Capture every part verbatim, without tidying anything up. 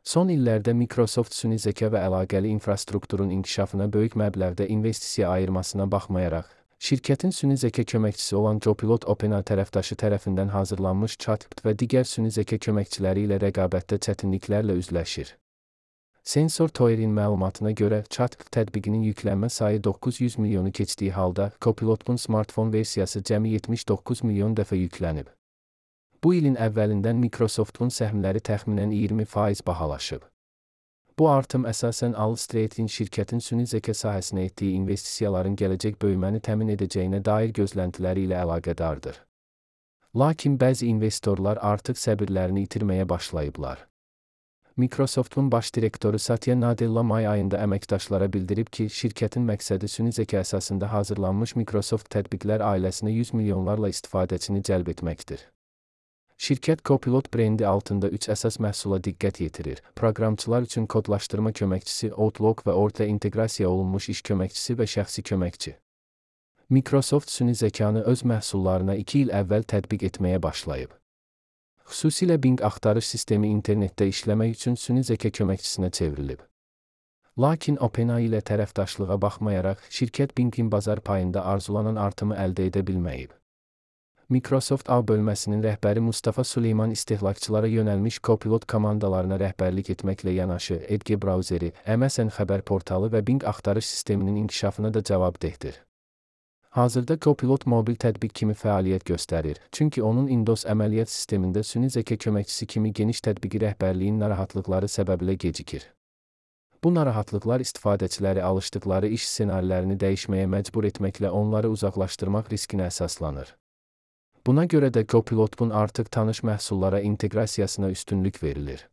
Son illərdə Microsoft süni zəka və əlaqəli infrastrukturun inkişafına böyük məbləğdə investisiya ayırmasına baxmayaraq, şirkətin süni zəka köməkçisi olan Copilot OpenAI tərəfdaşı tərəfindən hazırlanmış ChatGPT və digər süni zəka köməkçiləri ilə rəqabətdə çətinliklərlə üzləşir. Sensor Tower'in məlumatına görə, ChatGPT tətbiqinin yüklənmə sayı doqquz yüz milyonu keçdiyi halda, Copilot'un smartfon versiyası cəmi yetmiş doqquz milyon dəfə yüklənib. Bu ilin əvvəlindən Microsoft'un səhmləri təxminən iyirmi faiz bahalaşıb. Bu artım əsasən Alstreet'in şirkətin süni zəka sahəsinə etdiyi investisiyaların gələcək böyüməni təmin edəcəyinə dair gözləntiləri ilə əlaqədardır. Lakin bəzi investorlar artıq səbirlərini itirməyə başlayıblar. Microsoft'un baş direktoru Satya Nadella may ayında əməkdaşlara bildirib ki, şirkətin məqsədi süni zəka əsasında hazırlanmış Microsoft tətbiqlər ailəsinə yüz milyonlarla istifadəçini cəlb etməkdir. Şirkət Copilot brendi altında üç əsas məhsula diqqət yetirir: proqramçılar üçün kodlaşdırma köməkçisi, Outlook və orta inteqrasiya olunmuş iş köməkçisi və şəxsi köməkçi. Microsoft süni zəkanı öz məhsullarına iki il əvvəl tətbiq etməyə başlayıb. Xüsusilə Bing axtarış sistemi internetdə işləmək üçün süni zəka köməkçisinə çevrilib. Lakin OpenAI ilə tərəfdaşlığa baxmayaraq, şirkət Bing'in bazar payında arzulanan artımı əldə edə bilməyib. Microsoft A bölməsinin rəhbəri Mustafa Süleyman istehlakçılara yönəlmiş Copilot komandalarına rəhbərlik etməklə yanaşı, Edge brauzeri, M S N xəbər portalı və Bing axtarış sisteminin inkişafına da cavabdehdir. Hazırda Copilot mobil tətbiq kimi fəaliyyət göstərir, çünki onun Windows əməliyyat sistemində süni zəka köməkçisi kimi geniş tətbiqi rəhbərliyin narahatlıqları səbəbilə gecikir. Bu narahatlıqlar istifadəçiləri alışdıqları iş ssenarilərini dəyişməyə məcbur etməklə onları uzaqlaşdırmaq riskinə əsaslanır. Buna görə də Copilot'un artıq tanış məhsullara inteqrasiyasına üstünlük verilir.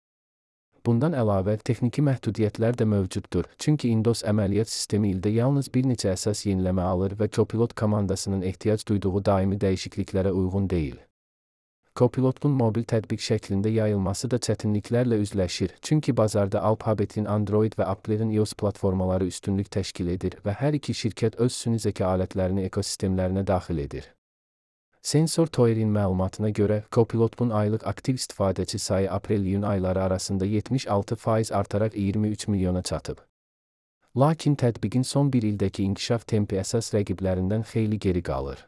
Bundan əlavə, texniki məhdudiyyətlər də mövcuddur, çünki Windows əməliyyat sistemi ildə yalnız bir neçə əsas yeniləmə alır və Copilot komandasının ehtiyac duyduğu daimi dəyişikliklərə uyğun deyil. Copilot'un mobil tətbiq şəklində yayılması da çətinliklərlə üzləşir, çünki bazarda Alphabet'in Android və Apple'in iOS platformaları üstünlük təşkil edir və hər iki şirkət öz süni zəka alətlərini ekosistemlərinə daxil edir. Sensor Tower'in məlumatına görə, Copilot'un aylıq aktiv istifadəçi sayı aprel-iyun ayları arasında yetmiş altı faiz artaraq iyirmi üç milyona çatıb. Lakin tətbiqin son bir ildəki inkişaf tempi əsas rəqiblərindən xeyli geri qalır.